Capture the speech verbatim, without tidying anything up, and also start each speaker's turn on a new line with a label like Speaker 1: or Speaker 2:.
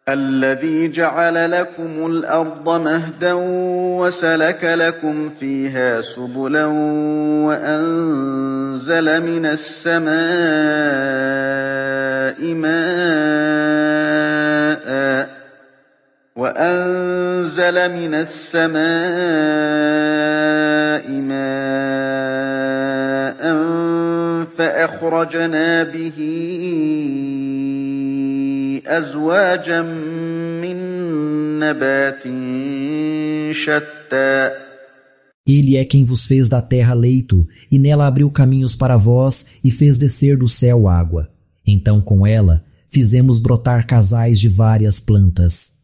Speaker 1: الذي جعل لكم الأرض مهدا وسلك لكم فيها سبلا وأنزل من السماء ماء وأنزل من السماء ماء فأخرجنا به أزواجا من نبات شتى.
Speaker 2: Ele é quem vos fez da terra leito, e nela abriu caminhos para vós, e fez descer do céu água. Então com ela fizemos brotar casais de várias plantas.